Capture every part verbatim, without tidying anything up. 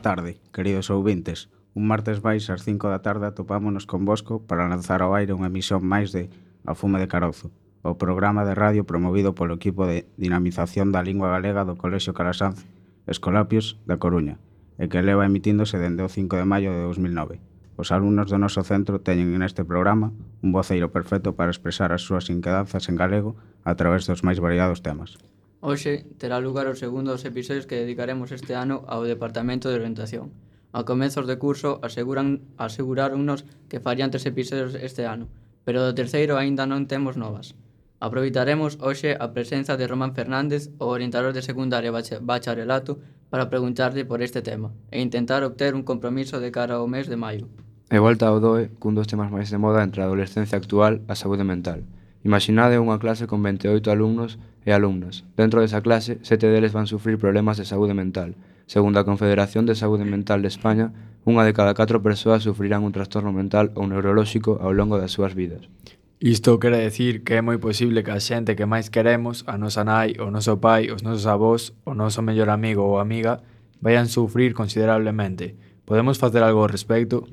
boa tarde, queridos ouvintes. Un martes máis ás cinco da tarde atopámonos con Bosco para lanzar ao aire unha emisión máis de A Fume de Carozo, o programa de radio promovido polo equipo de dinamización da lingua galega do Colexio Calasanz Escolapios da Coruña, e que leva emitíndose dende o cinco de maio de dos mil nove. Os alumnos do noso centro teñen neste programa un voceiro perfecto para expresar as súas inquedanzas en galego a través dos máis variados temas. Hoxe terá lugar o segundo dos episodios que dedicaremos este ano ao Departamento de Orientación. A comezos de curso aseguran, aseguráronnos que farían tres episodios este ano, pero do terceiro aínda non temos novas. Aproveitaremos hoxe a presenza de Román Fernández, o orientador de secundaria bacharelato, para preguntarlle por este tema e intentar obter un compromiso de cara ao mes de maio. E volta ao D O E cun dos temas máis de moda entre a adolescencia actual, a saúde mental. Imaginade unha clase con vinte e oito alumnos e alumnas. Dentro desa clase, sete deles van sufrir problemas de saúde mental. Segundo a Confederación de Saúde Mental de España, unha de cada catro persoas sufrirán un trastorno mental ou neurolóxico ao longo das súas vidas. Isto quere decir que é moi posible que a xente que máis queremos, a nosa nai, o noso pai, os nosos avós, o noso mellor amigo ou amiga, vayan sufrir considerablemente. Podemos facer algo ao respecto?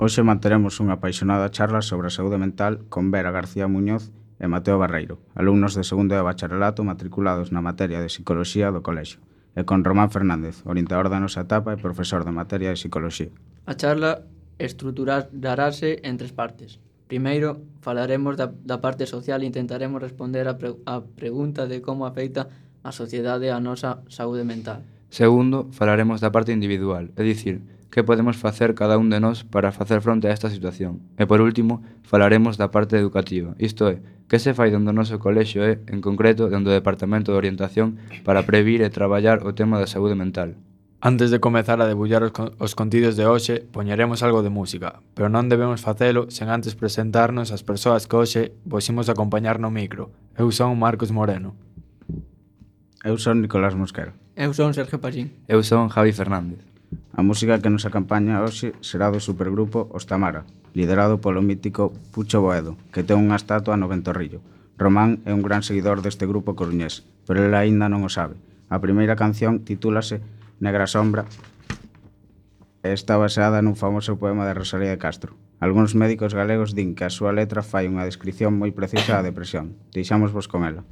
Hoxe manteremos unha apaixonada charla sobre a saúde mental con Vera García Muñoz e Mateo Barreiro, alumnos de segundo de bacharelato matriculados na materia de Psicoloxía do Colexio, e con Román Fernández, orientador da nosa etapa e profesor de materia de Psicoloxía. A charla estruturarase en tres partes. Primeiro, falaremos da, da parte social e intentaremos responder a, pre, a pregunta de como afecta a sociedade a nosa saúde mental. Segundo, falaremos da parte individual, é dicir, que podemos facer cada un de nós para facer fronte a esta situación. E por último, falaremos da parte educativa, isto é, que se fai dentro do noso colexio e, en concreto, dentro do Departamento de Orientación para previr e traballar o tema da saúde mental. Antes de comezar a debullar os, con- os contidos de hoxe, poñeremos algo de música, pero non debemos facelo sen antes presentarnos as persoas que hoxe vos imos acompañar no micro. Eu son Marcos Moreno. Eu son Nicolás Mosquera. Eu son Sergio Pallín. Eu son Javi Fernández. A música que nos acompaña hoxe será do supergrupo Os Tamara, liderado polo mítico Pucho Boedo, que ten unha estatua no Ventorrillo. Román é un gran seguidor deste grupo coruñés, pero ele aínda non o sabe. A primeira canción titúlase Negra Sombra e está baseada nun famoso poema de Rosalía de Castro. Algúns médicos galegos din que a súa letra fai unha descripción moi precisa da depresión. Deixámosvos con ela.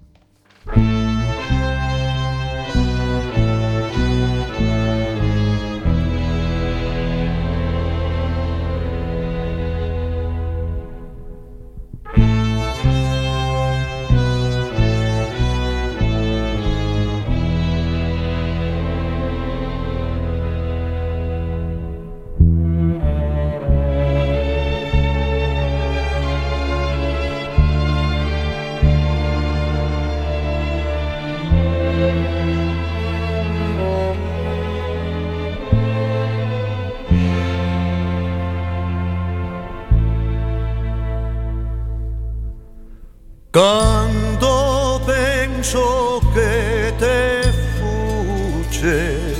Cando penso que te fuche,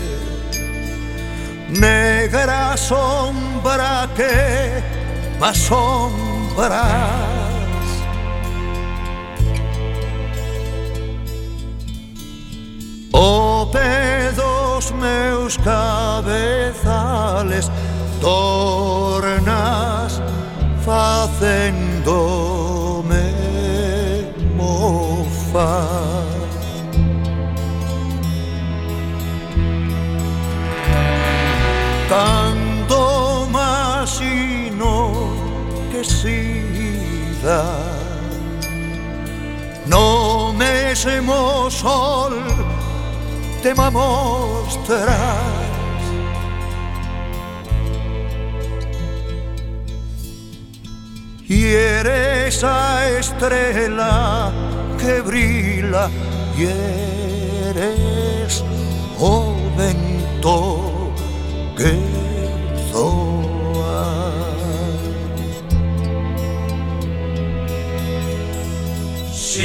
negra sombra que m'assombras, o pé dos meus cabezales tornas facendome mofa. Cando imagino que sida no mesmo sol te me mostras, y eres a estrela que brilla, y eres o vento que zoa. Si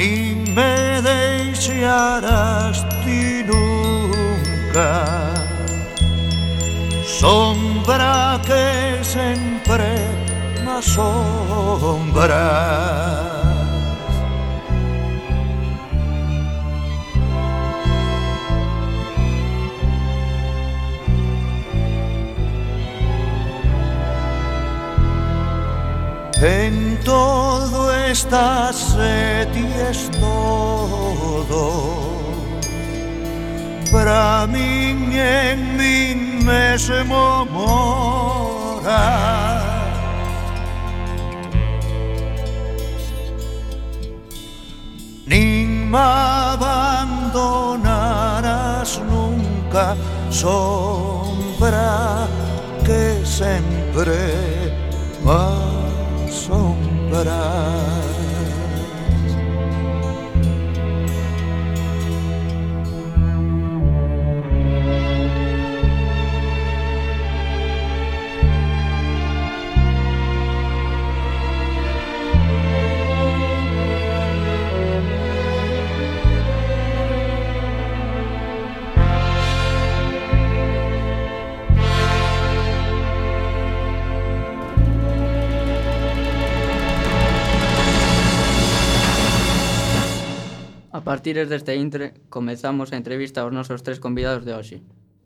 nin me deixarás ti nunca, sombra que sempre m'assombras. En todo estás e ti es todo, para min en min mesmo moras. Nin me abandonarás nunca, sombra que sempre m'assombras. A partir deste intre, comezamos a entrevista aos nosos tres convidados de hoxe,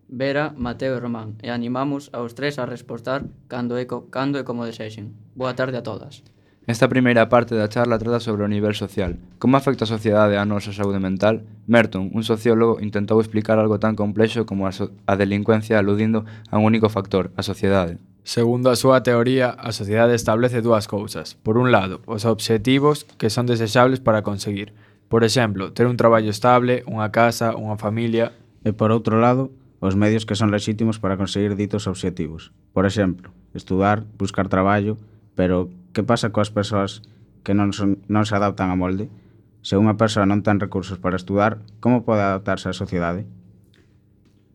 Vera, Mateo e Román, e animamos aos tres a respostar cando e, co, cando e como desexen. Boa tarde a todas. Esta primeira parte da charla trata sobre o nivel social. Como afecta a sociedade a nosa saúde mental? Merton, un sociólogo, intentou explicar algo tan complexo como a, so a delincuencia aludindo a un único factor, a sociedade. Segundo a súa teoría, a sociedade establece dúas cousas. Por un lado, os obxectivos que son desexables para conseguir. Por exemplo, ter un traballo estable, unha casa, unha familia. E por outro lado, os medios que son lexítimos para conseguir ditos obxectivos. Por exemplo, estudar, buscar traballo, pero que pasa coas persoas que non, son, non se adaptan a molde? Se unha persoa non ten recursos para estudar, como pode adaptarse á sociedade?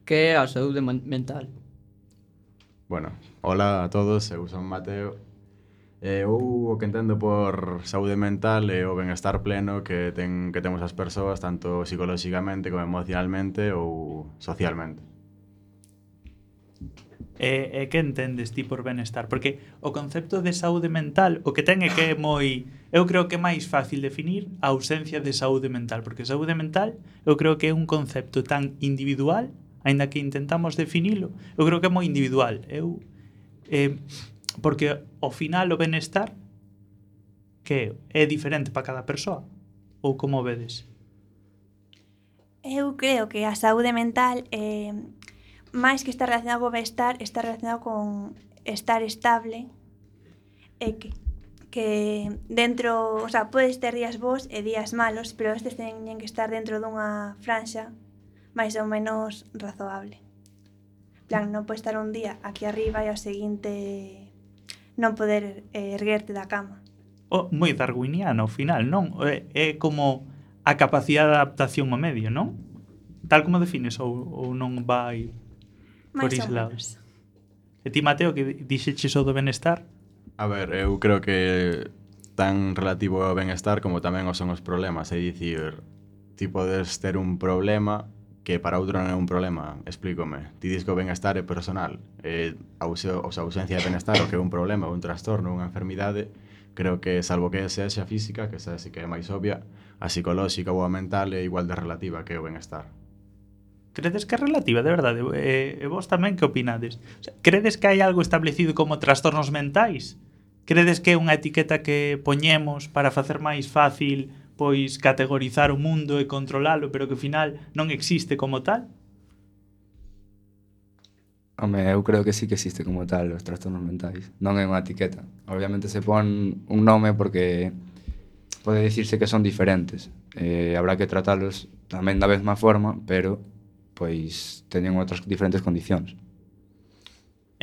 Que é a saúde mental? Bueno, hola a todos, eu son Mateo. Eu o que entendo por saúde mental é o benestar pleno que, ten, que temos as persoas, tanto psicolóxicamente como emocionalmente ou socialmente. E, e que entendes ti por benestar? Porque o concepto de saúde mental o que ten é que é moi... Eu creo que é máis fácil definir a ausencia de saúde mental, porque saúde mental eu creo que é un concepto tan individual, aínda que intentamos definilo, eu creo que é moi individual. Eu... Eh, porque ao final o benestar que é diferente para cada persoa, ou como vedes? Eu creo que a saúde mental eh, máis que estar relacionado co benestar, está relacionado con estar estable e que, que dentro, o sea, podes ter días bons e días malos, pero estes teñen que estar dentro dunha franxa máis ou menos razoable. Plan, non pode estar un día aquí arriba e ao seguinte non poder eh, erguerte da cama. Oh, moi darwiniano ao final, non? É, é como a capacidade de adaptación ao medio, non? Tal como defines ou, ou non vai por ese lado? E ti, Mateo, que dixeches o do benestar? A ver, eu creo que tan relativo ao benestar como tamén o son os problemas, é dicir, ti podes ter un problema que para outro non é un problema, explícome. Ti dis que o benestar é personal, e a ausencia de benestar o que é un problema, un trastorno, unha enfermidade, creo que salvo que sexa física, que esa sí que é máis obvia, a psicolóxica ou a mental é igual de relativa que o benestar. Credes que é relativa, de verdade? E, e vos tamén que opinades? O sea, credes que hai algo establecido como trastornos mentais? Credes que é unha etiqueta que poñemos para facer máis fácil pois categorizar o mundo e controlalo, pero que ao final non existe como tal? Home, eu creo que sí que existe como tal os trastornos mentais. Non é unha etiqueta. Obviamente se pon un nome porque pode dicirse que son diferentes. Eh, habrá que tratalos tamén da mesma forma, pero pois teñen outras diferentes condicións.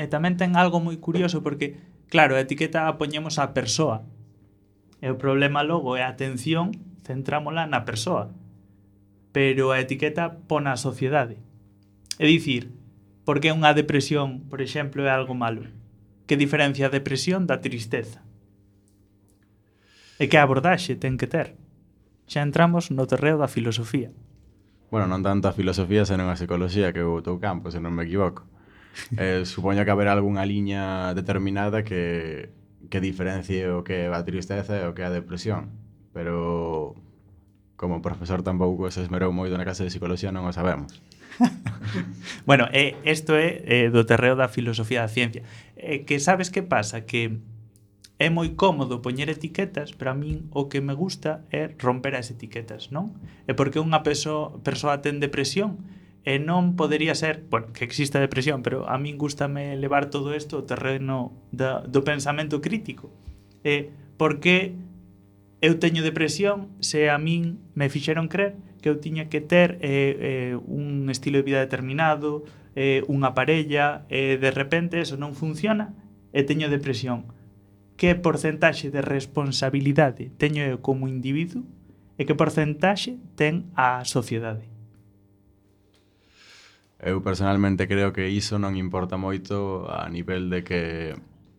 E tamén ten algo moi curioso porque, claro, a etiqueta a poñemos á persoa. E o problema logo é a atención, centrámola na persoa. Pero a etiqueta pon a sociedade. É dicir, por que unha depresión, por exemplo, é algo malo? Que diferencia a depresión da tristeza? E que abordaxe ten que ter? xa entramos no terreo da filosofía. Bueno, non tanto a filosofía, senón a psicoloxía, que é o teu campo, se non me equivoco. Eh, supoño que haberá algunha liña determinada que, que diferencie o que é a tristeza e o que é a depresión. Pero, como profesor tampouco se esmerou moito na clase de psicoloxía, non o sabemos. Bueno, eh, isto é eh, do terreo da filosofía da ciencia. Eh, que sabes que pasa? Que é moi cómodo poñer etiquetas, pero a min o que me gusta é romper as etiquetas, non? É porque unha persoa, persoa ten depresión e non podería ser, bueno, que exista depresión, pero a min gustame levar todo isto ao terreno da, do pensamento crítico. É porque eu teño depresión se a min me fixeron crer que eu tiña que ter eh, eh, un estilo de vida determinado, eh, unha parella, e eh, de repente eso non funciona e teño depresión. Que porcentaxe de responsabilidade teño eu como individuo e que porcentaxe ten a sociedade? Eu personalmente creo que iso non importa moito a nivel de que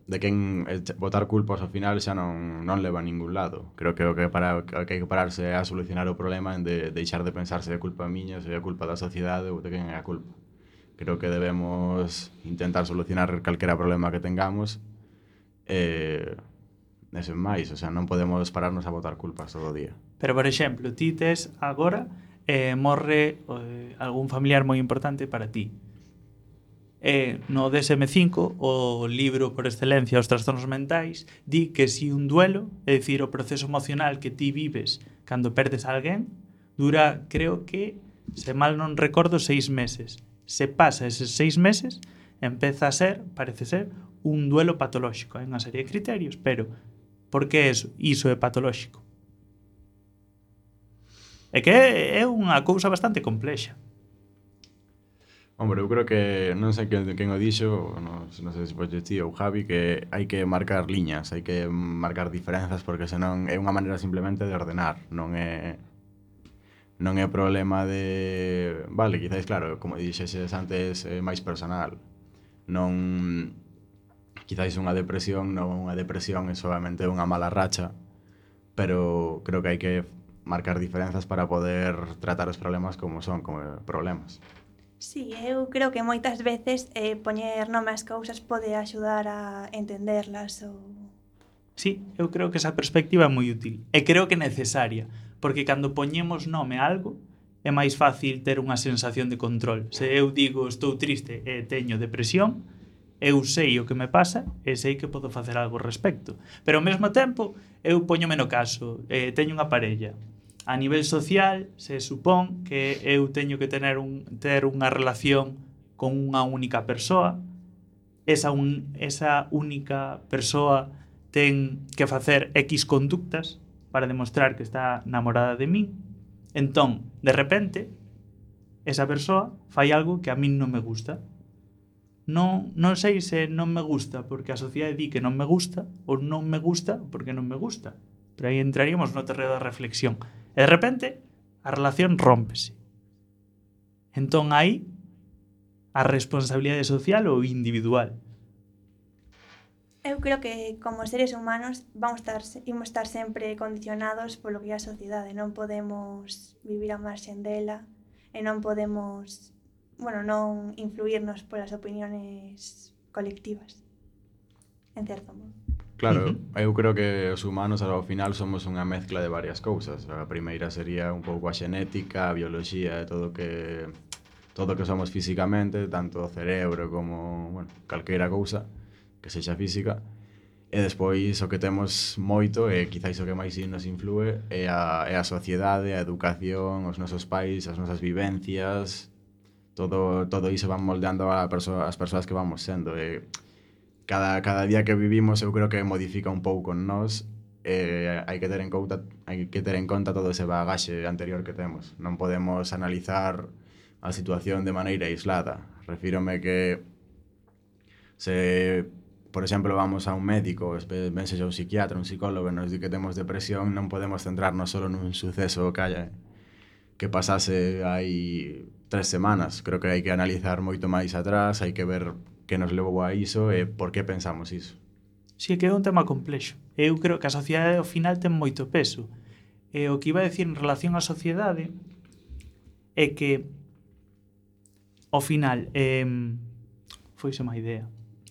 de quen botar culpas ao final xa non, non leva a ningún lado. Creo que o que, para, o que hai que pararse é a solucionar o problema en de deixar de pensar se é culpa miña, se é culpa da sociedade ou de quen é a culpa. Creo que debemos intentar solucionar calquera problema que tengamos e eh, sen máis, o sea, non podemos pararnos a botar culpas todo o día. Pero, por exemplo, ti tes agora eh, morre eh, algún familiar moi importante para ti. Eh, no D S M cinco, o libro por excelencia os trastornos mentais, di que si un duelo, é dicir, o proceso emocional que ti vives cando perdes a alguén, dura, creo que, se mal non recordo, seis meses. Se pasa eses seis meses, empeza a ser, parece ser, un duelo patolóxico. Hai unha serie de criterios, pero por que iso, iso é patolóxico? É que é unha cousa bastante complexa. Hombre, eu creo que, non sei quen, quen o dixo, non, non sei se foi ti ou Javi, que hai que marcar liñas, hai que marcar diferenzas, porque senón é unha maneira simplemente de ordenar, non é non é problema de... Vale, quizáis, claro, como dixeses antes, é máis personal. Non... Quizáis unha depresión, non unha depresión é solamente unha mala racha, pero creo que hai que marcar diferenzas para poder tratar os problemas como son, como problemas. Sí, eu creo que moitas veces eh, poñer nome ás cousas pode axudar a entenderlas ou... Sí, eu creo que esa perspectiva é moi útil. E creo que é necesaria, porque cando poñemos nome a algo, é máis fácil ter unha sensación de control. Se eu digo estou triste e teño depresión, eu sei o que me pasa e sei que podo facer algo ao respecto. Pero ao mesmo tempo, eu poñome no caso, eh, teño unha parella. A nivel social, se supón que eu teño que tener un, ter unha relación con unha única persoa. Esa, un, esa única persoa ten que facer X conductas para demostrar que está namorada de min. Entón, de repente, esa persoa fai algo que a min non me gusta. Non, non sei se non me gusta porque a sociedade di que non me gusta ou non me gusta porque non me gusta. Pero aí entraríamos no terreno da reflexión. E de repente, a relación rómpese. Entón aí, a responsabilidade social ou individual. Eu creo que como seres humanos vamos estar, imos estar sempre condicionados polo que é a sociedade. Non podemos vivir a marxen dela e non podemos, bueno, non influirnos polas opiniones colectivas, en certo modo. Claro, Uh-huh. eu creo que os humanos ao final somos unha mezcla de varias cousas. A primeira sería un pouco a xenética, a bioloxía e todo que todo que somos físicamente, tanto o cerebro como, bueno, calqueira cousa que sexa física. E despois o que temos moito e quizáis o que máis nos influe é a, é a sociedade, a educación, os nosos pais, as nosas vivencias. Todo, todo iso van moldeando a perso- as persoas que vamos sendo. E Cada, cada día que vivimos eu creo que modifica un pouco en nós e hai que ter en conta hai que ter en conta todo ese bagaxe anterior que temos. Non podemos analizar a situación de maneira aislada. Refírome que se, por exemplo, vamos a un médico, ben sexa un psiquiatra, un psicólogo, nos di que temos depresión, non podemos centrarnos solo nun suceso que haya que pasase hai tres semanas. Creo que hai que analizar moito máis atrás, hai que ver que nos levou a iso e por que pensamos iso. Si, que é un tema complexo. Eu creo que a sociedade ao final ten moito peso. E o que iba a decir en relación á sociedade é que ao final eh, foise má idea.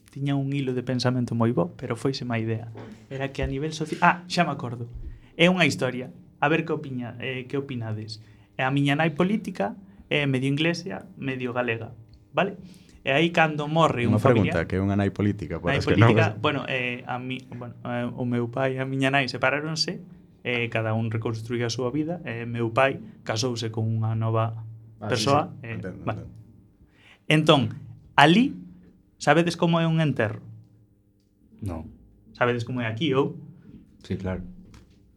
Tiña un hilo de pensamento moi bo, pero foise má idea. Era que a nivel social... Ah, xa me acordo. É unha historia. A ver que opina, eh, que opinades. A miña nai política é medio inglesa, medio galega, vale? E aí cando morre un Unha familiar... pregunta, que é unha nai política, para Nai os que non... política, bueno, eh, a mi, bueno, eh, o meu pai e a miña nai separáronse, eh, cada un reconstruía a súa vida, e eh, meu pai casouse con unha nova Ah, persoa. sí, sí. Eh, Entendo, vale. entendo. Entón, ali, sabedes como é un enterro? No. Sabedes como é aquí, ou? Sí, claro.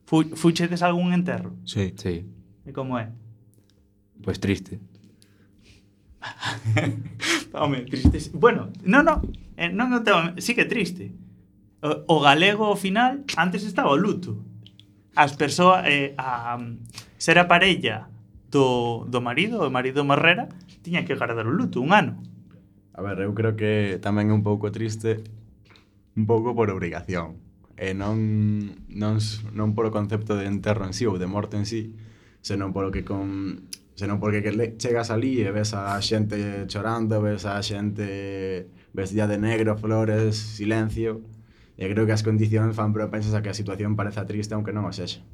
Fu, fuchedes algún enterro? Sí. Sí. E como é? Pois triste. Home, triste. Bueno, non, non, eh, non o tema, sí que é triste. O, o galego ao final antes estaba o luto. As persoas eh, a ser a parella do, do marido, o marido morrera, tiña que guardar o luto un ano. A ver, eu creo que tamén é un pouco triste, un pouco por obrigación. E non, non, non por o concepto de enterro en sí ou de morte en sí, senón polo que con... senón porque que le, chegas ali e ves a xente chorando, ves a xente vestida de negro, flores, silencio, e creo que as condicións fan propensas a que a situación pareza triste aunque non o sexa.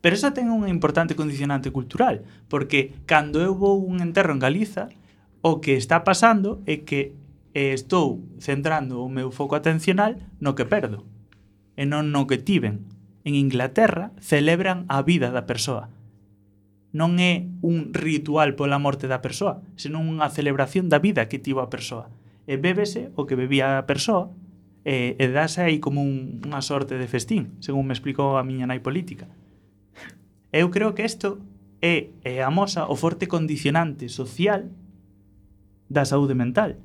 Pero eso ten unha importante condicionante cultural, porque cando eu vou un enterro en Galiza, o que está pasando é que eh, estou centrando o meu foco atencional no que perdo, e non no que tiven. En Inglaterra celebran a vida da persoa. Non é un ritual pola morte da persoa, senón unha celebración da vida que tivo a persoa. E bébese o que bebía a persoa, e, e dase aí como un, unha sorte de festín, según me explicou a miña nai política. Eu creo que isto é, é amosa o forte condicionante social da saúde mental.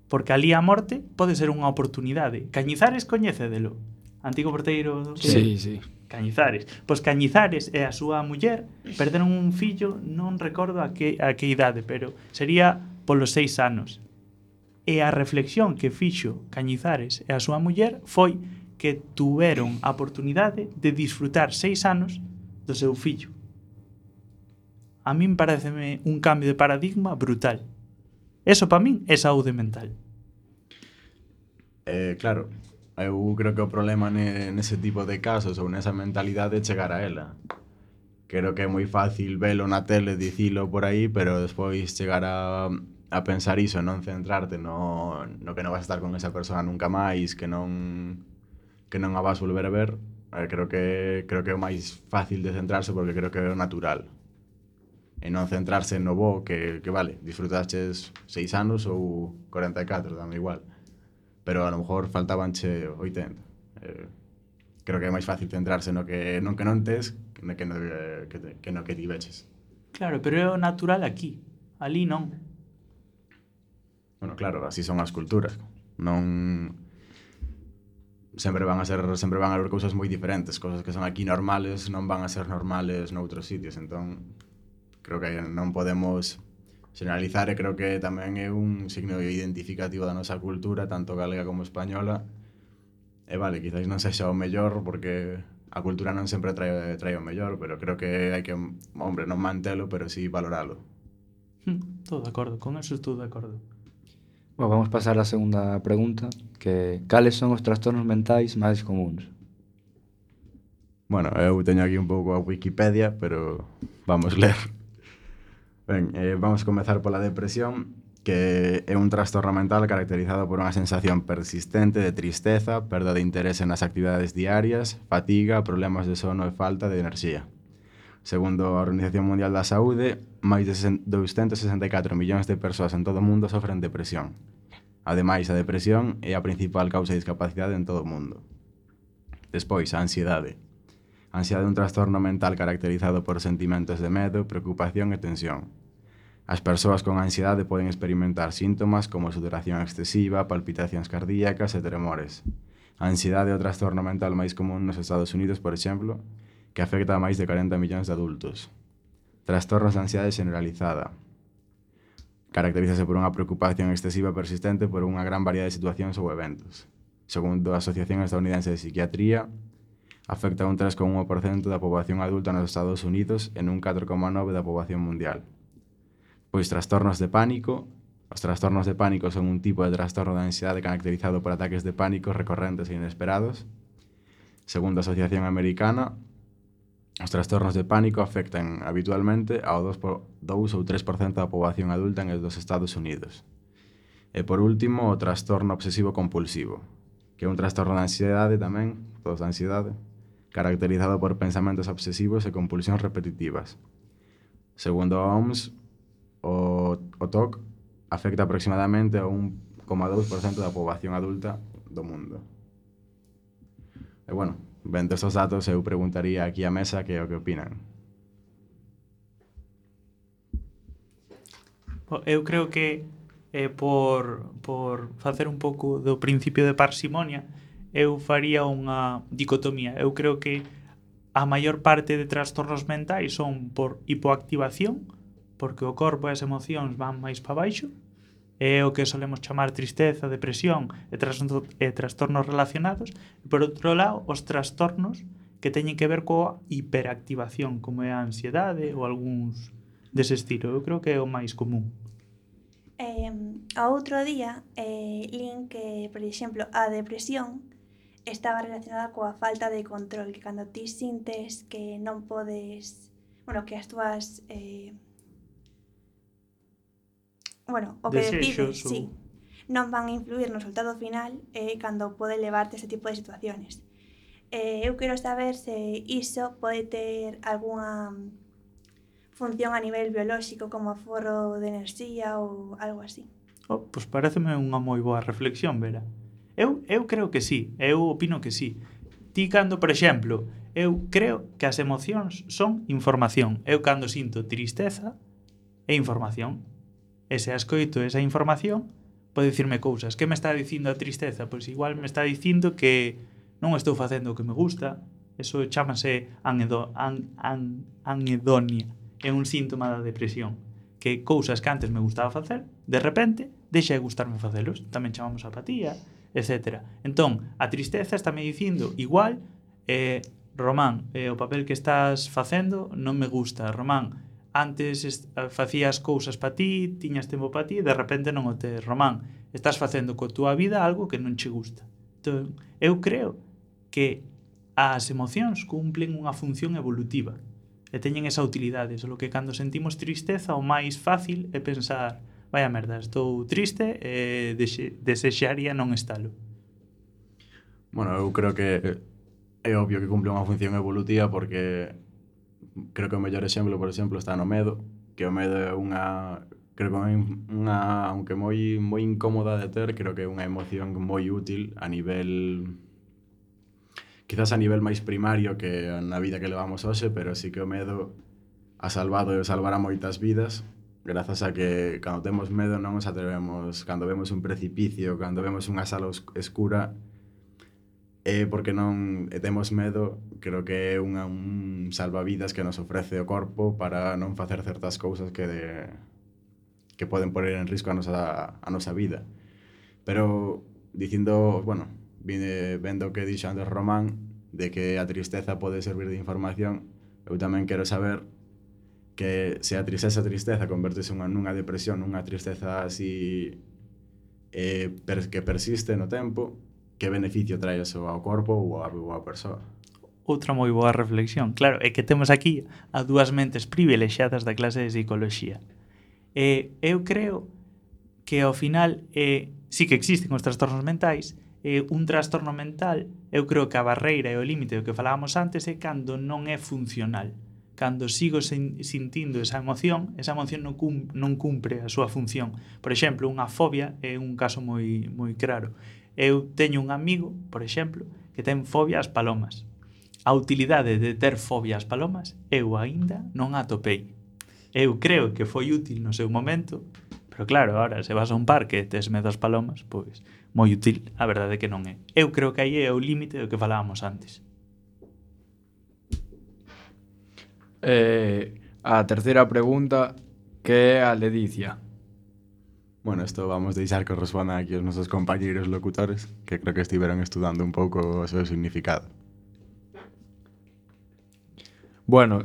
Porque ali a morte pode ser unha oportunidade. Cañizares coñécedelo. Antigo porteiro do... Sí, sí. Cañizares. Pois Cañizares e a súa muller perderon un fillo, non recordo a que, a que idade, pero sería polos seis anos. E a reflexión que fixo Cañizares e a súa muller foi que tuveron a oportunidade de disfrutar seis anos do seu fillo. A min pareceme un cambio de paradigma brutal. Eso para min é saúde mental. Eh, claro, eu creo que o problema ne, nese tipo de casos ou nesa mentalidade é chegar a ela. Creo que é moi fácil velo na tele, dicilo por aí, pero despois chegar a, a pensar iso, non centrarte no, no que non vas a estar con esa persona nunca máis, que non que non a vas volver a ver. Eh, creo que creo que é o máis fácil de centrarse porque creo que é o natural. E non centrarse no bo, que, que vale, disfrutaches seis anos ou corenta e catro, dame igual. Pero a lo mejor faltabanche oitenta. Eh, creo que é máis fácil centrarse no que non que non tes que no que, no, que, te, que, no que ti veches. Claro, pero é o natural aquí. Ali non. Bueno, claro, así son as culturas. Non sempre van a ser sempre van a haber cousas moi diferentes, cousas que son aquí normales non van a ser normales noutros sitios, entón creo que non podemos generalizar e creo que tamén é un signo identificativo da nosa cultura, tanto galega como española. E vale, quizás non sexa o mellor porque a cultura non sempre trae, trae o mellor, pero creo que hai que, hombre, non mantelo, pero sí valoralo. Hm, todo de acordo, con eso estou de acordo. Bueno, vamos pasar á segunda pregunta, que cales son os trastornos mentais máis comuns? Bueno, eu teño aquí un pouco a Wikipedia, pero vamos ler. Ben, eh, vamos comezar pola depresión, que é un trastorno mental caracterizado por unha sensación persistente de tristeza, perda de interese nas actividades diarias, fatiga, problemas de sono e falta de enerxía. Segundo a Organización Mundial da Saúde, máis de doscientos sesenta e catro millóns de persoas en todo o mundo sofren depresión. Ademais, a depresión é a principal causa de discapacidade en todo o mundo. Despois, a ansiedade. A ansiedade é un trastorno mental caracterizado por sentimentos de medo, preocupación e tensión. As persoas con ansiedade poden experimentar síntomas como sudoración excesiva, palpitacións cardíacas e tremores. A ansiedade é o trastorno mental máis común nos Estados Unidos, por exemplo, que afecta a máis de cuarenta millóns de adultos. Trastornos de ansiedade generalizada. Caracterízase por unha preocupación excesiva persistente por unha gran variedade de situacións ou eventos. Segundo a Asociación Estadounidense de Psiquiatría, Afecta un tres coma uno por cento da poboación adulta nos Estados Unidos e un catro coma nove por cento da poboación mundial. Pois trastornos de pánico. Os trastornos de pánico son un tipo de trastorno de ansiedade caracterizado por ataques de pánico recorrentes e inesperados. Segundo a Asociación Americana, os trastornos de pánico afectan habitualmente ao dous ou tres por cento da poboación adulta en dos Estados Unidos. E por último, o trastorno obsesivo compulsivo, que é un trastorno de ansiedade tamén, todos de ansiedade, caracterizado por pensamentos obsesivos e compulsións repetitivas. Segundo a O M S, o, o T O C afecta aproximadamente a un coma dous por cento da poboación adulta do mundo. E bueno, vendo estes datos, eu preguntaría aquí á mesa que é o que opinan. Eu creo que eh, por, por facer un pouco do principio de parsimonia, eu faría unha dicotomía. Eu creo que a maior parte de trastornos mentais son por hipoactivación, porque o corpo e as emocións van máis para baixo, é o que solemos chamar tristeza, depresión e, trastorno, e trastornos relacionados. E por outro lado, os trastornos que teñen que ver coa hiperactivación, como é a ansiedade ou algúns dese estilo. Eu creo que é o máis común. Eh, a outro día, eh, lin que, por exemplo, a depresión estaba relacionada coa falta de control, que cando ti sintes que non podes, bueno, que as túas eh, bueno, o que decides, ou... sí, non van a influir no resultado final eh, cando pode levarte ese tipo de situaciones. Eh, eu quero saber se iso pode ter algunha función a nivel biolóxico como aforro de enerxía ou algo así. Oh, pois pareceme unha moi boa reflexión, Vera. Eu, eu creo que sí, eu opino que sí. Ti cando, por exemplo, eu creo que as emocións son información. Eu cando sinto tristeza é información. E se escoito esa información, pode dicirme cousas. Que me está dicindo a tristeza? Pois igual me está dicindo que non estou facendo o que me gusta. Eso chámase anedo, an, an, anedonia. É un síntoma da depresión. Que cousas que antes me gustaba facer, de repente, deixa de gustarme facelos. Tamén chamamos apatía, etcétera. Entón, a tristeza está me dicindo igual, eh, Román, eh, o papel que estás facendo non me gusta. Román, antes est- facías cousas para ti, tiñas tempo para ti, de repente non o tes. Román, estás facendo coa túa vida algo que non che gusta. Entón, eu creo que as emocións cumplen unha función evolutiva e teñen esa utilidade, só que cando sentimos tristeza o máis fácil é pensar vaya merda, estou triste e dexe, desexaría non estalo. Bueno, eu creo que é obvio que cumple unha función evolutiva porque creo que o mellor exemplo, por exemplo, está no medo, que o medo é unha creo que é unha, aunque moi moi incómoda de ter, creo que é unha emoción moi útil a nivel quizás a nivel máis primario que na vida que levamos hoxe, pero sí que o medo ha salvado e salvará moitas vidas. Grazas a que cando temos medo non nos atrevemos, cando vemos un precipicio, cando vemos unha sala escura, é porque non e temos medo, creo que é unha, un salvavidas que nos ofrece o corpo para non facer certas cousas que de, que poden poner en risco a nosa, a nosa vida. Pero, dicindo, bueno, vine vendo o que dixo antes Román, de que a tristeza pode servir de información, eu tamén quero saber que se a tristeza a tristeza convertese unha, nunha depresión, nunha tristeza así eh, per, que persiste no tempo, que beneficio trae eso ao corpo ou á, ou á persoa? Outra moi boa reflexión. Claro, é que temos aquí a dúas mentes privilexiadas da clase de psicología. E eu creo que ao final eh, sí que existen os trastornos mentais, eh, un trastorno mental, eu creo que a barreira e o límite do que falábamos antes é cando non é funcional. Cando sigo sen, sintindo esa emoción, esa emoción non, cum, non cumpre a súa función. Por exemplo, unha fobia é un caso moi, moi claro. Eu teño un amigo, por exemplo, que ten fobia ás palomas. A utilidade de ter fobia ás palomas eu aínda non a atopei. Eu creo que foi útil no seu momento, pero claro, ahora se vas a un parque e tes medo ás palomas, pois moi útil, a verdade é que non é. Eu creo que aí é o límite do que falábamos antes. Eh, a terceira pregunta, que é a ledicia? Bueno, isto vamos deixar que respondan aquí os nosos compañeiros locutores, que creo que estiveron estudando un pouco o seu significado. Bueno,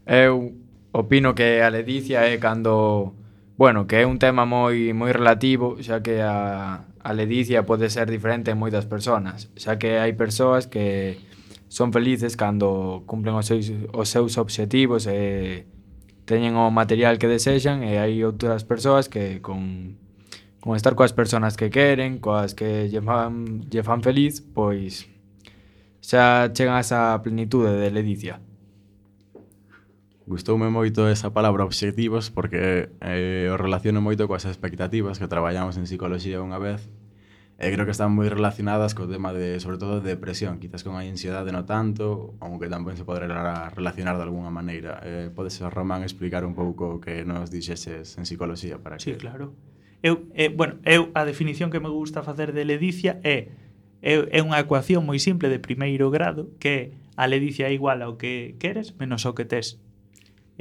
eu opino que a ledicia é cando... Bueno, que é un tema moi moi relativo, xa que a, a ledicia pode ser diferente en moitas persoas, xa que hai persoas que son felices cando cumplen os seus, os seus obxectivos e teñen o material que desexan, e hai outras persoas que con, con estar coas persoas que queren, coas que lle fan, lle fan feliz, pois xa chegan a esa plenitude de ledicia. Gustoume moito esa palabra obxectivos porque eh, o relaciono moito coas expectativas que traballamos en psicología unha vez e creo que están moi relacionadas co tema de, sobre todo, de depresión, quizás con a ansiedade no tanto, aunque tamén se pode relacionar de alguna maneira. Eh, podes, Román, explicar un pouco o que nos dixeses en psicología para que... Sí, claro. Eu, eh, bueno, eu a definición que me gusta facer de ledicia é é, é unha ecuación moi simple de primeiro grado que a ledicia é igual ao que queres menos ao que tes.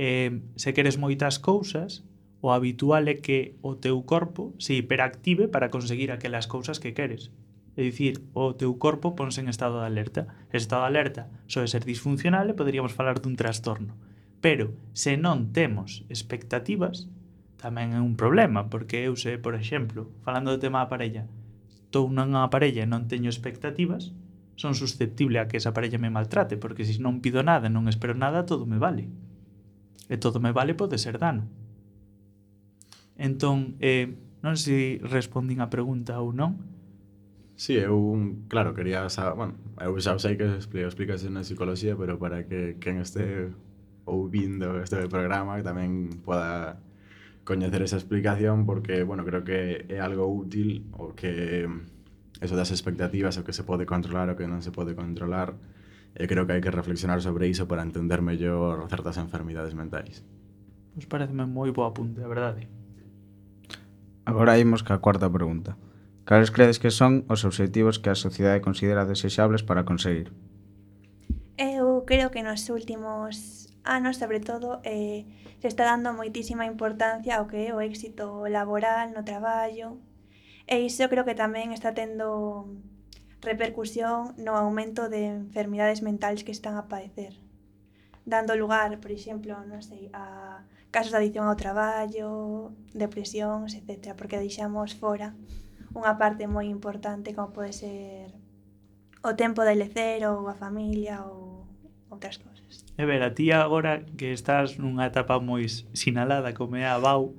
Eh, se queres moitas cousas, o habitual é que o teu corpo se hiperactive para conseguir aquelas cousas que queres. É dicir, o teu corpo ponse en estado de alerta. Ese estado de alerta soe ser disfuncional e poderíamos falar dun trastorno. Pero, se non temos expectativas, tamén é un problema, porque eu sei, por exemplo, falando do tema da parella, estou nunha parella e non teño expectativas, son susceptible a que esa parella me maltrate, porque se non pido nada e non espero nada, todo me vale. E todo me vale pode ser dano. Entón, eh, non sei se respondín a pregunta ou non. Sí, eu, claro, quería saber, bueno, eu xa sei que explicas na psicología, pero para que quen este ouvindo este programa que tamén poda coñecer esa explicación, porque, bueno, creo que é algo útil o que eso das expectativas, o que se pode controlar o que non se pode controlar. E creo que hai que reflexionar sobre iso para entender mellor certas enfermidades mentais. Pois pareceme moi boa apunte, a verdade. Agora imos ca cuarta pregunta. Cales credes que son os obxectivos que a sociedade considera desexables para conseguir? Eu creo que nos últimos anos, sobre todo, eh, se está dando moitísima importancia ao que é o éxito laboral no traballo, e iso creo que tamén está tendo repercusión no aumento de enfermidades mentales que están a padecer, dando lugar, por exemplo, non sei, a casos de adicción ao traballo, depresións, etcétera, porque deixamos fora unha parte moi importante como pode ser o tempo de lecer ou a familia ou outras cousas. E ver, a ti agora que estás nunha etapa moi sinalada como é a B A U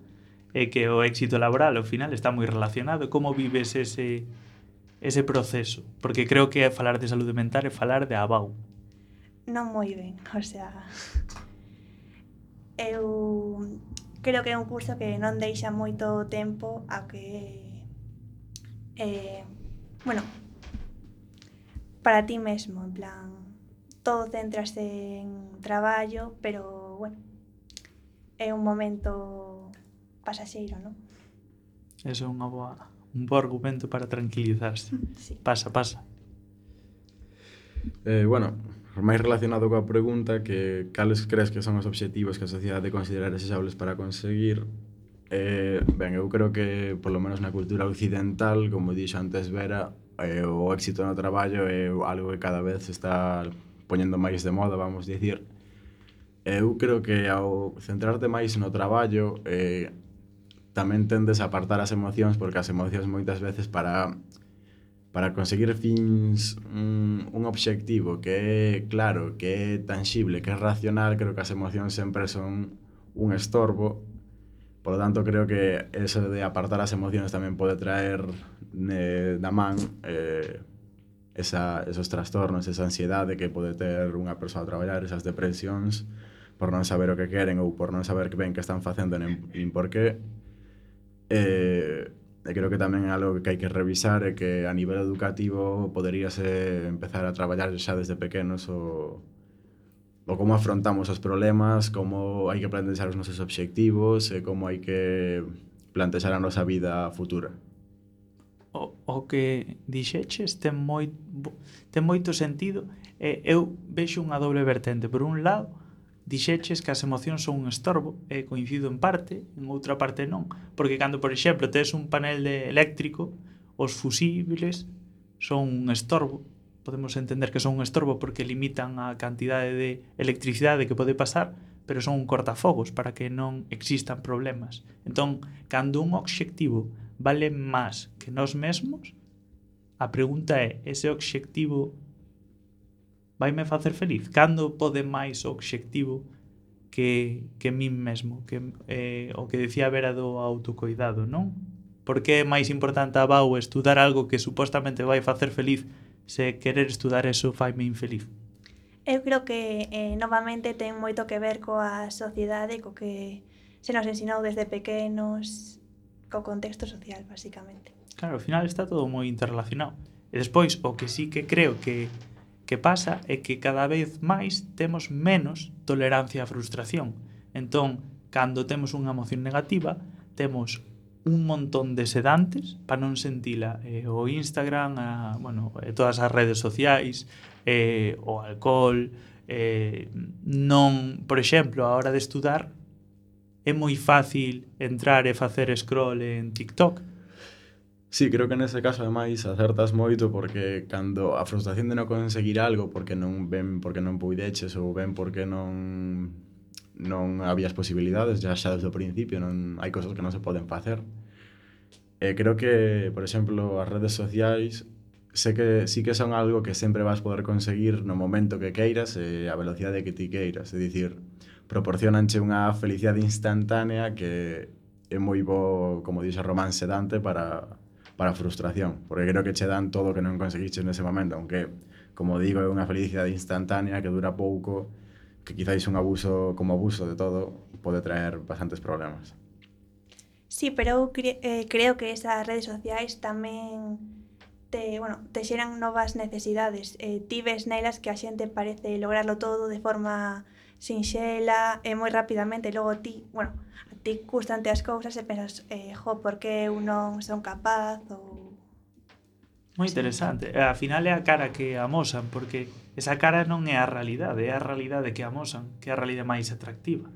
e que o éxito laboral ao final está moi relacionado, como vives ese ese proceso? Porque creo que falar de saúde mental é falar de A B A U. Non moi ben, o sea, eu creo que é un curso que non deixa moito tempo a que eh, bueno, para ti mesmo, en plan, todo centrase en traballo, pero, bueno, é un momento pasaxeiro, non? Eso é unha boa, un bo argumento para tranquilizarse. Sí. Pasa, pasa. Eh, bueno, máis relacionado coa pregunta que cales crees que son os obxectivos que a sociedade considera deseables para conseguir. Eh, ben, eu creo que, polo menos na cultura occidental, como dixo antes Vera, eh, o éxito no traballo é algo que cada vez se está poñendo máis de moda, vamos dicir. Eu creo que ao centrarte máis no traballo eh, tamén tendes a apartar as emocións, porque as emocións moitas veces para para conseguir fins un, un obxectivo que é claro, que é tangible, que é racional, creo que as emocións sempre son un estorbo. Por lo tanto, creo que eso de apartar as emocións tamén pode traer eh, da man eh, esa, esos trastornos, esa ansiedade que pode ter unha persoa a traballar, esas depresións por non saber o que queren ou por non saber que ben que están facendo nin, nin por qué. Eh, e creo que tamén é algo que hai que revisar e que a nivel educativo poderíase empezar a traballar xa desde pequenos o, o como afrontamos os problemas, como hai que plantexar os nosos obxectivos e como hai que plantexar a nosa vida futura. O, o que dixeches ten, moi, ten moito sentido. Eh, eu vexo unha doble vertente. Por un lado, dixeches que as emocións son un estorbo, e coincido en parte, en outra parte non, porque cando, por exemplo, tes un panel de eléctrico, os fusibles son un estorbo, podemos entender que son un estorbo porque limitan a cantidade de electricidade que pode pasar, pero son un cortafogos para que non existan problemas. Entón, cando un obxectivo vale máis que nós mesmos, a pregunta é, ese obxectivo vaime facer feliz? Cando pode máis o obxectivo que, que min mesmo? Que, eh, o que decía Vera do autocoidado, non? Por que é máis importante a Bau estudar algo que supostamente vai facer feliz se querer estudar eso faime infeliz? Eu creo que eh, novamente ten moito que ver coa sociedade, co que se nos ensinou desde pequenos, co contexto social, basicamente. Claro, ao final está todo moi interrelacionado. E despois, o que sí que creo que, que pasa é que cada vez máis temos menos tolerancia á frustración. Entón, cando temos unha emoción negativa, temos un montón de sedantes para non sentila, eh, o Instagram, a, bueno, eh, todas as redes sociais, eh, o alcohol, eh, non, por exemplo, a hora de estudar é moi fácil entrar e facer scroll en TikTok. Sí, creo que nese caso ademais acertas moito porque cando a frustración de non conseguir algo porque non ven porque non puideches ou ven porque non non habías posibilidades, já xa desde o principio non hai cosas que non se poden facer. E creo que, por exemplo, as redes sociais sé que sí que son algo que sempre vas poder conseguir no momento que queiras e a velocidade que ti queiras, é dicir, proporcionanche unha felicidade instantánea que é moi bo, como dixe Román, sedante para para a frustración, porque creo que che dan todo o que non conseguiches nese momento, aunque, como digo, é unha felicidade instantánea que dura pouco, que quizáis un abuso como abuso de todo pode traer bastantes problemas. Sí, pero eu cre eh, creo que esas redes sociais tamén te, bueno, te xeran novas necesidades. Eh, ti ves nelas que a xente parece lograrlo todo de forma sinxela e moi rapidamente, e logo ti, bueno, a ti custante as cousas e pensas, eh, jo, por que eu non son capaz ou... Moi interesante. E, ao final é a cara que amosan, porque esa cara non é a realidade, é a realidade que amosan, que é a realidade máis atractiva.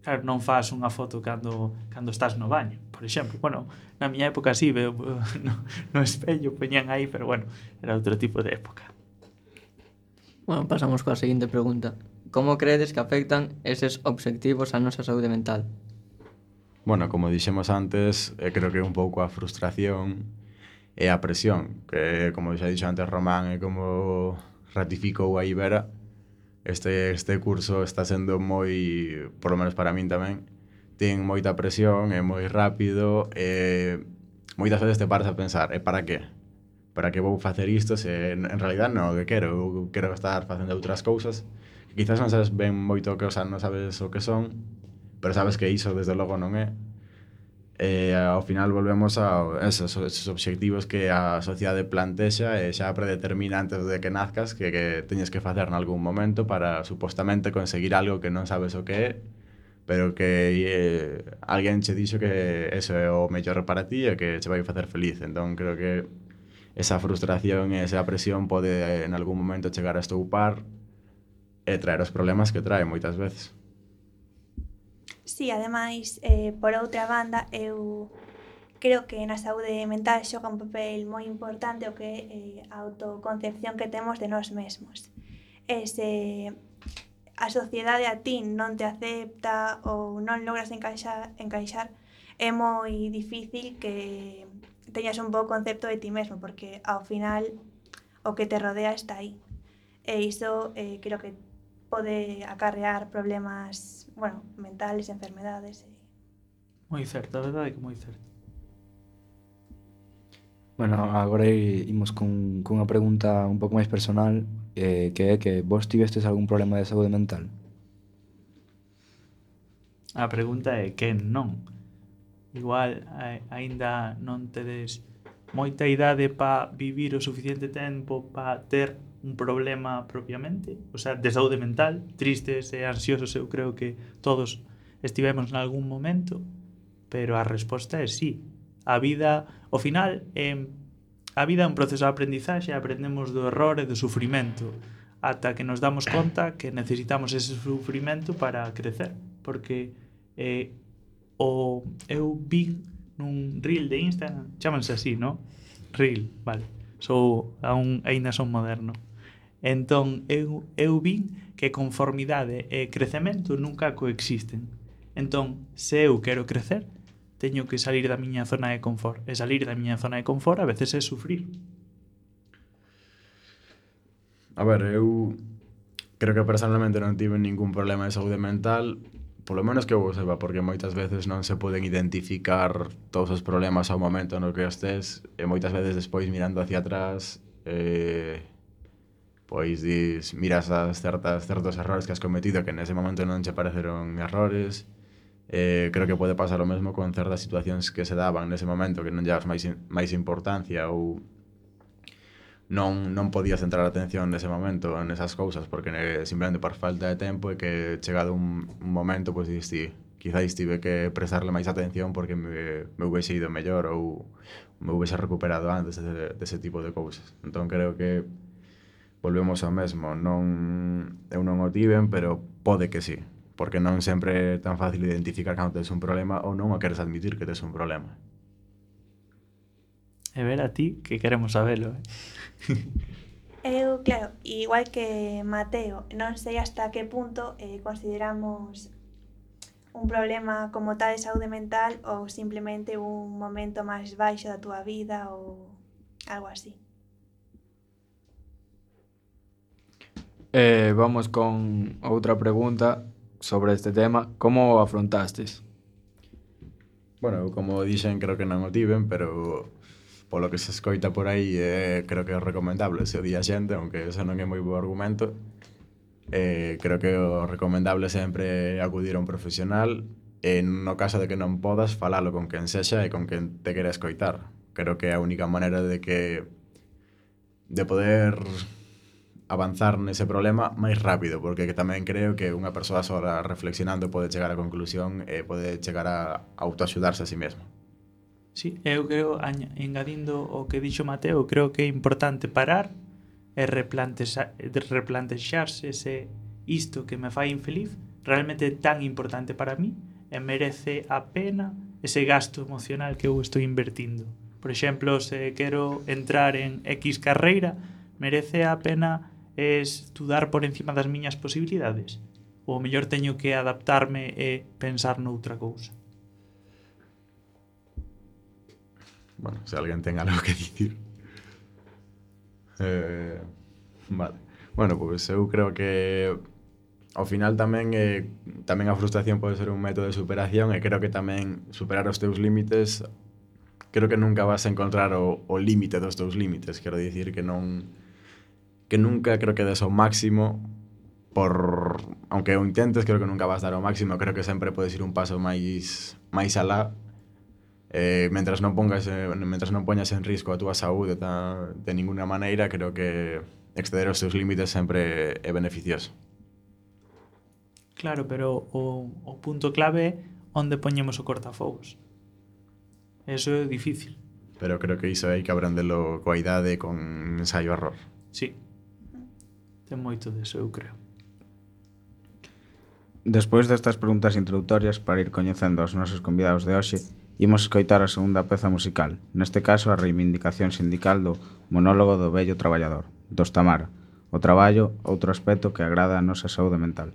Claro, non faz unha foto cando, cando estás no baño, por exemplo. Bueno, na miña época sí, veo no, no espello, poñían aí, pero bueno, era outro tipo de época. Bueno, pasamos coa seguinte pregunta. Como credes que afectan eses obxectivos á nosa saúde mental? Bueno, como dixemos antes, eh, creo que un pouco a frustración e a presión, que como xa dixo antes Román e como ratificou a Ibera, este, este curso está sendo moi, por lo menos para min tamén, ten moita presión, é moi rápido, e moitas veces te paras a pensar, e para que? Para que vou facer isto se en, en realidad non o que quero, eu quero estar facendo outras cousas, que quizás non sabes ben moito o que, o sea, non sabes o que son, pero sabes que iso desde logo non é. E ao final volvemos a esos, esos obxectivos que a sociedade plantexa e xa predetermina antes de que nazcas que, que teñes que facer nalgún momento para supostamente conseguir algo que non sabes o que é, pero que eh, alguén che dixo que eso é o mellor para ti e que che vai facer feliz. Entón creo que esa frustración e esa presión pode en algún momento chegar a estoupar e traer os problemas que trae moitas veces. Sí, ademais, eh, por outra banda, eu creo que na saúde mental xoga un papel moi importante o que é eh, a autoconcepción que temos de nós mesmos. E se a sociedade a ti non te acepta ou non logras encaixar, encaixar, é moi difícil que teñas un bo concepto de ti mesmo, porque ao final o que te rodea está aí. E iso eh, creo que pode acarrear problemas, bueno, mentales, enfermedades. Moi certo, a verdade é que moi certo. Bueno, agora imos con, con unha pregunta un pouco máis personal, eh, que é que vos tivestes algún problema de saúde mental? A pregunta é que non. Igual, a, aínda non tedes moita idade para vivir o suficiente tempo para ter un problema propiamente, o sea, de saúde mental, tristes e ansiosos, eu creo que todos estivemos en algún momento, pero a resposta é sí. A vida, ao final, eh, a vida é un proceso de aprendizaxe, aprendemos do error e do sufrimento, ata que nos damos conta que necesitamos ese sufrimento para crecer, porque eh, o eu vi nun reel de Instagram, chámanse así, non? Reel, vale. Sou, aún, aínda son moderno. Entón, eu, eu vin que conformidade e crecemento nunca coexisten. Entón, se eu quero crecer, teño que salir da miña zona de confort. E salir da miña zona de confort a veces é sufrir. A ver, eu creo que personalmente non tive ningún problema de saúde mental, polo menos que eu saiba, porque moitas veces non se poden identificar todos os problemas ao momento no que estés, e moitas veces despois mirando hacia atrás, eh, pois dis, miras as certas, certos errores que has cometido que nese momento non che pareceron errores. Eh, creo que pode pasar o mesmo con certas situacións que se daban nese momento que non llevas máis, máis importancia ou non, non podías centrar a atención nese momento en esas cousas porque ne, simplemente por falta de tempo e que chegado un, un momento pois dis ti, quizáis tive que prestarle máis atención porque me, me hubiese ido mellor ou me hubiese recuperado antes de, de ese tipo de cousas. Entón creo que volvemos ao mesmo, non, eu non o tiven, pero pode que sí, porque non sempre é tan fácil identificar cando tes un problema ou non o queres admitir que tes un problema. E ver a ti, que queremos sabelo, eh? Eu, claro, igual que Mateo, non sei hasta que punto eh, consideramos un problema como tal de saúde mental ou simplemente un momento máis baixo da túa vida ou algo así. Eh, vamos con outra pregunta sobre este tema. Como o afrontastes? Bueno, como dixen, creo que non o tiven, pero polo que se escoita por aí, eh, creo que é recomendable se o di a xente, aunque eso non é moi bo argumento. Eh, creo que o recomendable sempre é acudir a un profesional e no caso de que non podas, falalo con quen sexa e con quen te quere escoitar. Creo que é a única maneira de que de poder avanzar nese problema máis rápido, porque tamén creo que unha persoa sola reflexionando pode chegar á conclusión e pode chegar a autoaxudarse a sí mesmo. Sí, eu creo, engadindo o que dixo Mateo, creo que é importante parar e replantexarse se isto que me fai infeliz realmente é tan importante para mí e merece a pena ese gasto emocional que eu estou invertindo. Por exemplo, se quero entrar en X carreira, merece a pena estudar por encima das miñas posibilidades? Ou mellor teño que adaptarme e pensar noutra cousa? Bueno, se alguén ten algo que dicir. Eh, vale. Bueno, pois pues eu creo que ao final tamén eh, tamén a frustración pode ser un método de superación e creo que tamén superar os teus límites, creo que nunca vas a encontrar o, o límite dos teus límites, quero dicir que non que nunca creo que des o máximo por aunque o intentes, creo que nunca vas dar o máximo, creo que sempre podes ir un paso máis máis alá. Eh, mentras non pongas eh, mentras non poñas en risco a túa saúde ta, de ninguna maneira, creo que exceder os teus límites sempre é beneficioso. Claro, pero o, o punto clave é onde poñemos o cortafogos. Eso é difícil. Pero creo que iso hai que aprendelo coa idade, con ensaio-error. Sí. Ten moito deso, eu creo. Despois destas preguntas introductorias, para ir coñecendo aos nosos convidados de hoxe, imos escoitar a segunda peza musical, neste caso a reivindicación sindical do monólogo do vello traballador, dos Tamara, o traballo, outro aspecto que agrada a nosa saúde mental.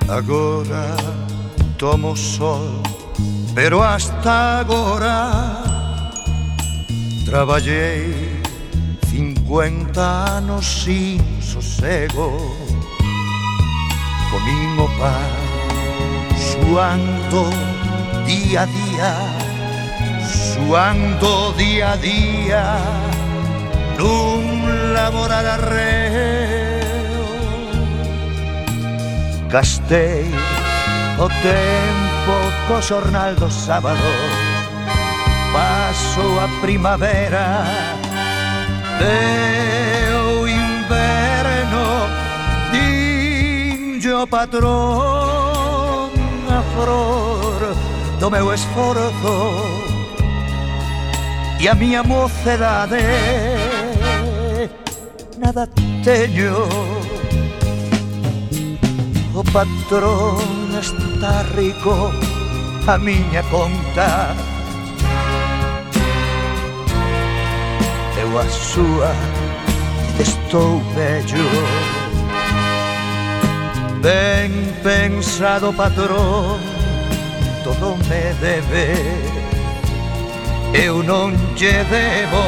Agora tomo sol, pero hasta agora traballei cincuenta anos sin sosego. Comín o pan suando día a día, suando día a día nun laboral arreo. Gastei o tempo co xornal dos sábados, paso a primavera e o inverno, dinlle o patrón a flor do meu esforzo e a miña mocedade nada teño. O patrón está rico a miña conta, eu a súa estou bello. Ben pensado patrón, todo me debe, eu non lle debo,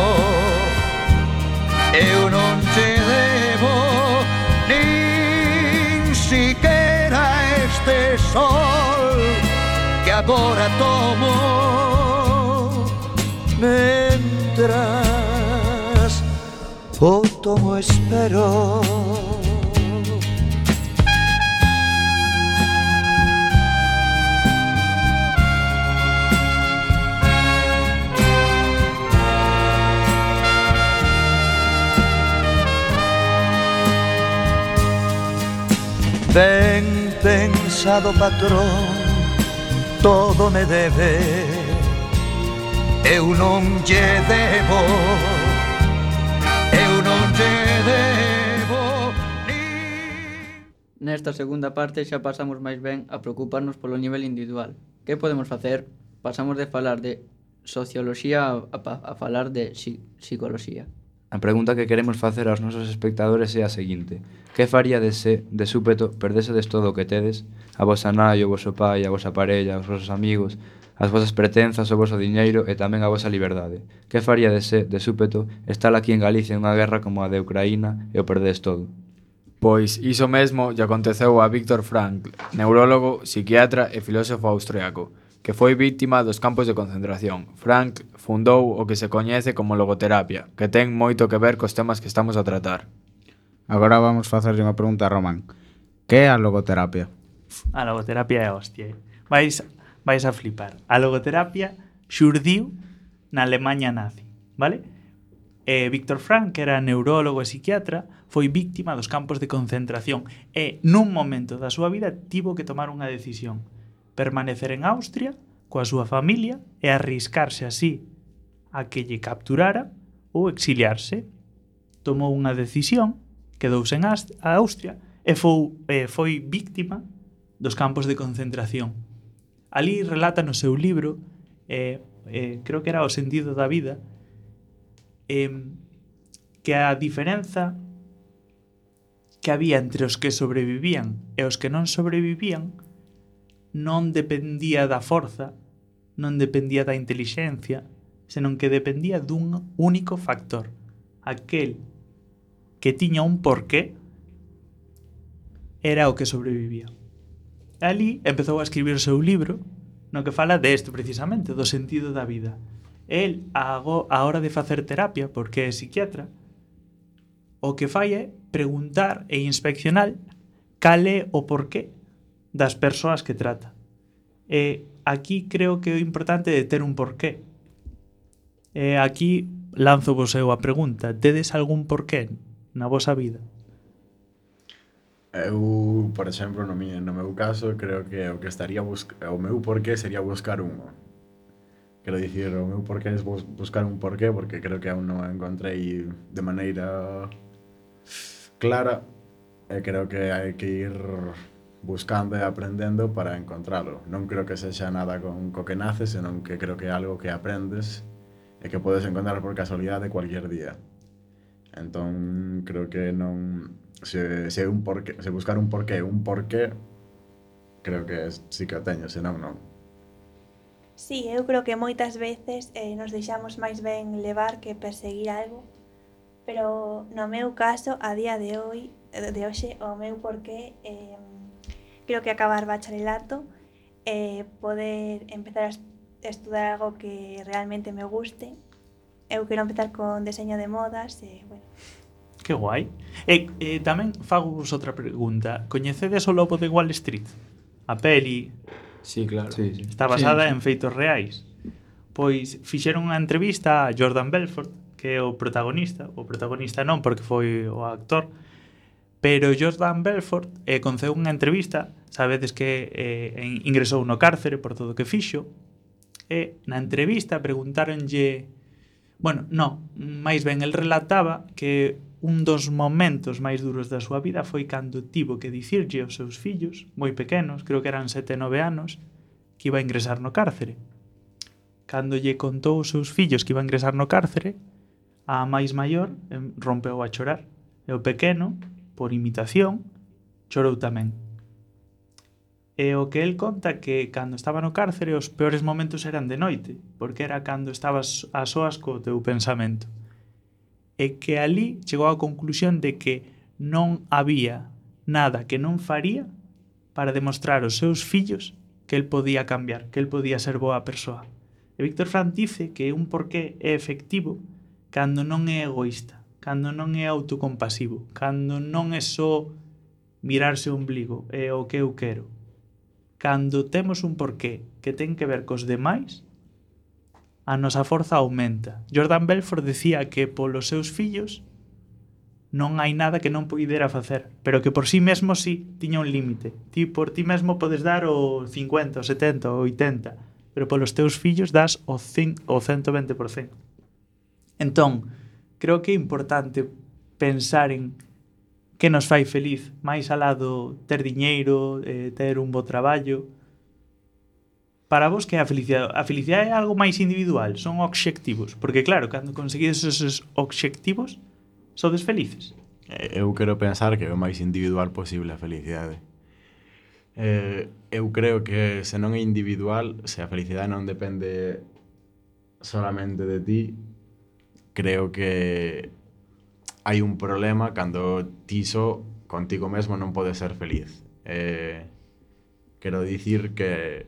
eu non lle debo nin siquiera este sol que agora tomo, mentras o tomo espero. Ben pensado patrón, todo me debe, eu non lle debo, eu non lle debo ni... Nesta segunda parte xa pasamos máis ben a preocuparnos polo nivel individual. Que podemos facer? Pasamos de falar de socioloxía a, a, a falar de psi, psicoloxía. A pregunta que queremos facer aos nosos espectadores é a seguinte: que faríades se, de súpeto, perdésedes todo o que tedes, a vosa nai, o voso pai, a vosa parella, os vosos amigos, as vosas pretenzas, o voso diñeiro e tamén a vosa liberdade? Que faríades se, de súpeto, estar aquí en Galicia en unha guerra como a de Ucraína e o perdedes todo? Pois iso mesmo lle aconteceu a Viktor Frankl, neurólogo, psiquiatra e filósofo austriaco, que foi vítima dos campos de concentración. Frankl fundou o que se coñece como logoterapia, que ten moito que ver cos temas que estamos a tratar. Agora vamos facerlle unha pregunta a Román. Que é a logoterapia? A logoterapia é hostia. Vais, vais a flipar. A logoterapia xurdiu na Alemanha nazi, vale? Eh, Viktor Frankl, que era neurólogo e psiquiatra, foi víctima dos campos de concentración e nun momento da súa vida tivo que tomar unha decisión: permanecer en Austria coa súa familia e arriscarse así a que lle capturara ou exiliarse. Tomou unha decisión, quedouse en Austria e foi, eh, foi víctima dos campos de concentración. Ali relata no seu libro, eh, eh, creo que era O sentido da vida, eh, que a diferenza que había entre os que sobrevivían e os que non sobrevivían non dependía da forza, non dependía da intelixencia, senón que dependía dun único factor: aquel que tiña un porqué era o que sobrevivía. Ali empezou a escribir o seu libro no que fala desto precisamente, do sentido da vida. El, a hora de facer terapia, porque é psiquiatra, o que fai é preguntar e inspeccionar cal é o porqué das persoas que trata. E aquí creo que o importante é ter un porqué. E aquí lanzo vos eu a pregunta: tedes algún porqué na vosa vida? Eu, por exemplo, no, mi, no meu caso, creo que o que estaría busca, o meu porqué sería buscar un. Quero dicir, o meu porqué é bus, buscar un porqué, porque creo que aún non encontrei de maneira clara, e creo que hai que ir buscando e aprendendo para encontralo. Non creo que sexa nada con co que naces, senón que creo que é algo que aprendes e que podes encontrar por casualidade cualquier día. Entón, creo que non... Se, se, un porqué, se buscar un porqué, un porqué, creo que sí que o teño, senón non. Sí, eu creo que moitas veces eh, nos deixamos máis ben levar que perseguir algo, pero no meu caso, a día de hoy, de hoxe, o meu porqué... Eh, creo que acabar bacharelato, eh, poder empezar a estudar algo que realmente me guste. Eu quero empezar con deseño de modas e, bueno. Que guai. E eh, tamén fago vos outra pregunta. Coñecedes o Lobo de Wall Street? A peli... Sí, claro. Sí, sí. Está basada sí, sí. en feitos reais. Pois fixeron unha entrevista a Jordan Belfort, que é o protagonista. O protagonista non, porque foi o actor. Pero Jordan Belfort eh, conceu unha entrevista, sabedes que eh, ingresou no cárcere por todo o que fixo, e na entrevista preguntáronlle, bueno, non, máis ben el relataba que un dos momentos máis duros da súa vida foi cando tivo que dicirlle aos seus fillos, moi pequenos, creo que eran sete, nove anos, que iba a ingresar no cárcere. Cando lle contou aos seus fillos que iba a ingresar no cárcere, a máis maior rompeu a chorar. E o pequeno, por imitación, chorou tamén. E o que el conta que cando estaba no cárcere os peores momentos eran de noite, porque era cando estabas a soas co teu pensamento. E que ali chegou á conclusión de que non había nada que non faría para demostrar aos seus fillos que el podía cambiar, que el podía ser boa persoa. E Víctor Frank dice que un porqué é efectivo cando non é egoísta, cando non é autocompasivo, cando non é só mirarse o ombligo, é o que eu quero. Cando temos un porqué que ten que ver cos demais, a nosa forza aumenta. Jordan Belfort decía que polos seus fillos non hai nada que non poidera facer, pero que por sí mesmo sí tiña un límite. Ti por ti mesmo podes dar o cincuenta, o setenta, o oitenta, pero polos teus fillos das o, o ciento vinte por cento. Entón, creo que é importante pensar en que nos fai feliz, máis alá do ter diñeiro, eh, ter un bo traballo. Para vos, que é a felicidade? A felicidade é algo máis individual, son obxectivos, porque claro, cando conseguides esos obxectivos, sodes felices. Eu quero pensar que é o máis individual posible a felicidade. Eh, eu creo que se non é individual, se a felicidade non depende solamente de ti, creo que hai un problema cando ti só contigo mesmo non podes ser feliz. Eh, quero dicir que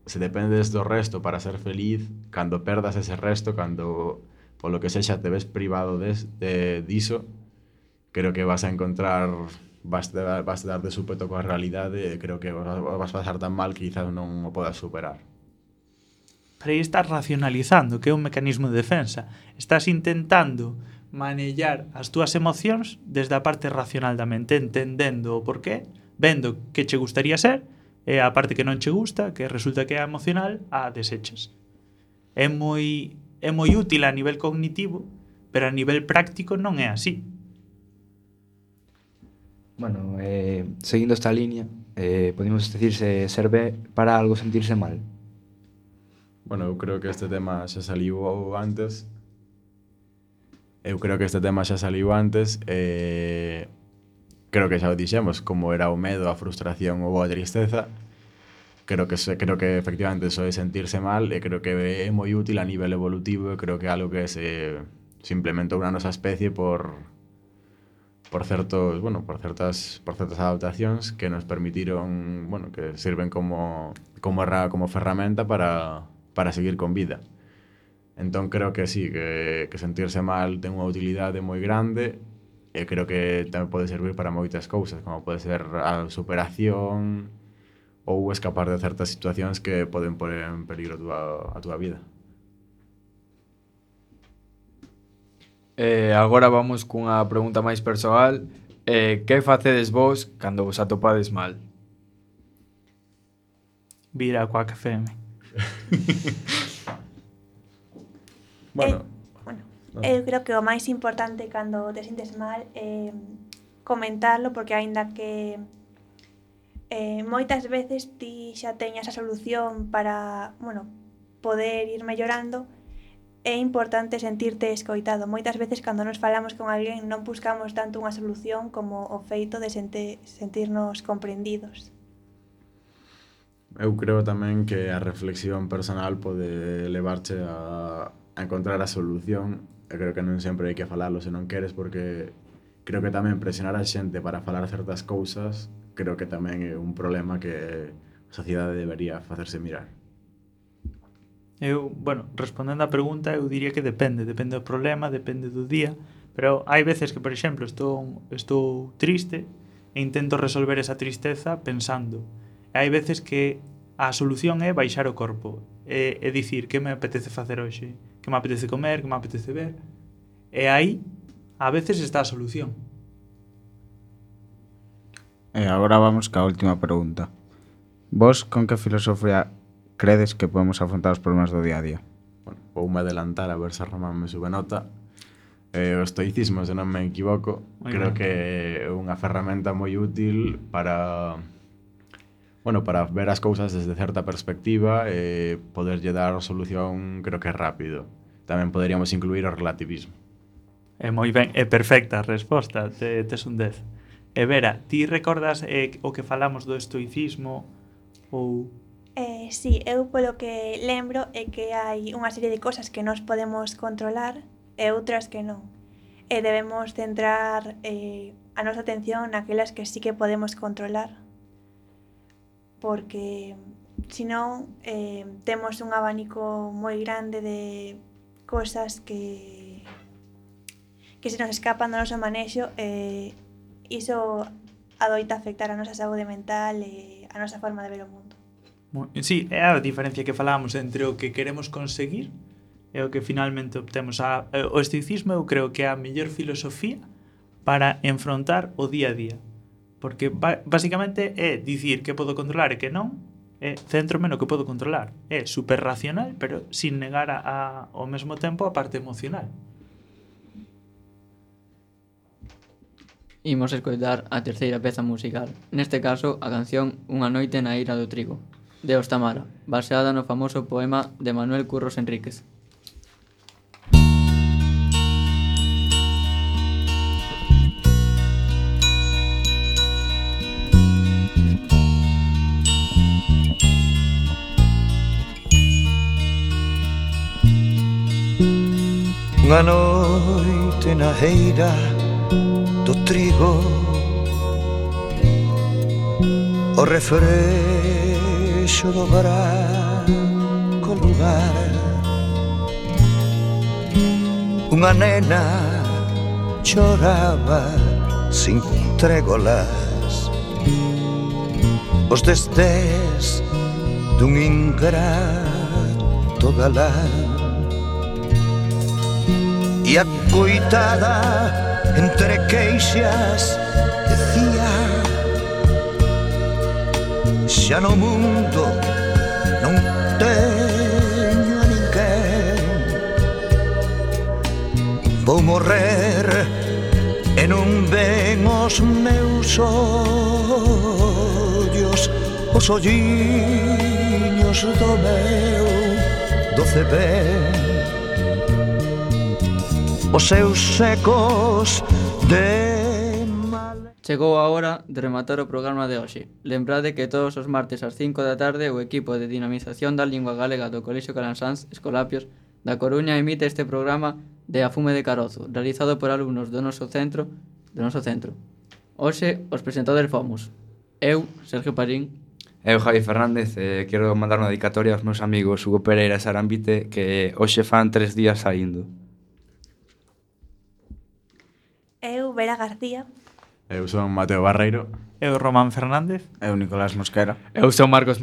se dependes do resto para ser feliz, cando perdas ese resto, cando polo que sexa te ves privado des, de diso, creo que vas a encontrar, vas a, vas a dar de súpeto coa realidade e creo que vas a pasar tan mal que quizás non o podas superar. Pero aí estás racionalizando, que é un mecanismo de defensa. Estás intentando manellar as túas emocións desde a parte racional da mente, entendendo o porqué, vendo que che gustaría ser, e a parte que non che gusta, que resulta que é emocional, a desechas. É moi, é moi útil a nivel cognitivo, pero a nivel práctico non é así. Bueno, eh, seguindo esta línea, eh, podemos decirse ser B para algo sentirse mal. Bueno, eu creo que este tema xa saliu antes. Eu creo que este tema xa saliu antes e... Eh... creo que xa o dixemos, como era o medo, a frustración ou a tristeza, creo que creo que efectivamente eso de sentirse mal e creo que é moi útil a nivel evolutivo e creo que é algo que se, se implementou na nosa especie por por certos, bueno, por certas por certas adaptacións que nos permitiron, bueno, que sirven como como como ferramenta para para seguir con vida. Entón creo que sí, que que sentirse mal ten unha utilidade moi grande. E creo que tamén pode servir para moitas cousas, como pode ser a superación ou escapar de certas situacións que poden poner en peligro a túa, a túa vida. Eh, agora vamos cunha pregunta máis persoal. Eh, que facedes vos cando vos atopades mal? Vir a Quack F M. Bueno... Eh, Eu creo que o máis importante cando te sintes mal é comentarlo, porque aínda que eh, moitas veces ti xa teñas a solución para, bueno, poder ir mellorando, é importante sentirte escoitado. Moitas veces cando nos falamos con alguén non buscamos tanto unha solución como o feito de sente, sentirnos comprendidos. Eu creo tamén que a reflexión personal pode levarche a, a encontrar a solución. Eu creo que non sempre hai que falalo se non queres, porque creo que tamén presionar a xente para falar certas cousas creo que tamén é un problema que a sociedade debería facerse mirar. Eu, bueno, respondendo á pregunta, eu diría que depende, depende do problema, depende do día, pero hai veces que, por exemplo, estou, estou triste e intento resolver esa tristeza pensando. E hai veces que a solución é baixar o corpo, e, e dicir que me apetece facer hoxe, que me apetece comer, que me apetece ver. E aí, a veces está a solución. E agora vamos ca última pregunta. Vos con que filosofía credes que podemos afrontar os problemas do día a día? Bueno, voume adelantar a ver se a Román me sube nota. Eh, o estoicismo, se non me equivoco, Moi creo ben. que é unha ferramenta moi útil para bueno, para ver as cousas desde certa perspectiva e poderlle dar solución, creo que rápido. Tamén poderíamos incluir o relativismo. É moi ben, é perfecta a resposta, te, tes un dez. E Vera, ti recordas eh, o que falamos do estoicismo ou... Eh, sí, eu polo que lembro é que hai unha serie de cosas que nos podemos controlar e outras que non. E debemos centrar eh, a nosa atención naquelas que sí que podemos controlar. Porque, senón, eh, temos un abanico moi grande de cosas que que se nos escapan do noso manexo e iso adoita afectar a nosa saúde mental e a nosa forma de ver o mundo. Sí, é a diferencia que falamos entre o que queremos conseguir e o que finalmente obtemos. A, o estoicismo eu creo que é a mellor filosofía para enfrontar o día a día. Porque ba basicamente é dicir que podo controlar e que non, é centrome no que podo controlar. É super racional, pero sin negar a, a, ao mesmo tempo a parte emocional. Imos escoitar a terceira peza musical. Neste caso, a canción Unha noite na ira do trigo, de Os Tamara, baseada no famoso poema de Manuel Curros Enríquez. Unha noite na eira do trigo, o refrexo do branco lugar, unha nena choraba sin trégolas os destés dun ingrato galán. E a coitada entre queixas decía: xa no mundo non teño a ninguén, vou morrer e non ven os meus ollos, os olliños do meu doce ben, os seus ecos de mal. Chegou a hora de rematar o programa de hoxe. Lembrade que todos os martes ás cinco da tarde o equipo de dinamización da lingua galega do Colexio Calansáns Escolapios da Coruña emite este programa de A Fume de Carozo, realizado por alumnos do noso centro, do noso centro. Hoxe os presentadores fomos eu, Sergio Parín. Eu, Javi Fernández, eh, quero mandar unha dedicatoria aos meus amigos Hugo Pereira e Sarambite, que hoxe fan tres días saindo. Eu, Vera García. Eu son Mateo Barreiro. Eu, Román Fernández. Eu, Nicolás Mosquera. Eu sou Marcos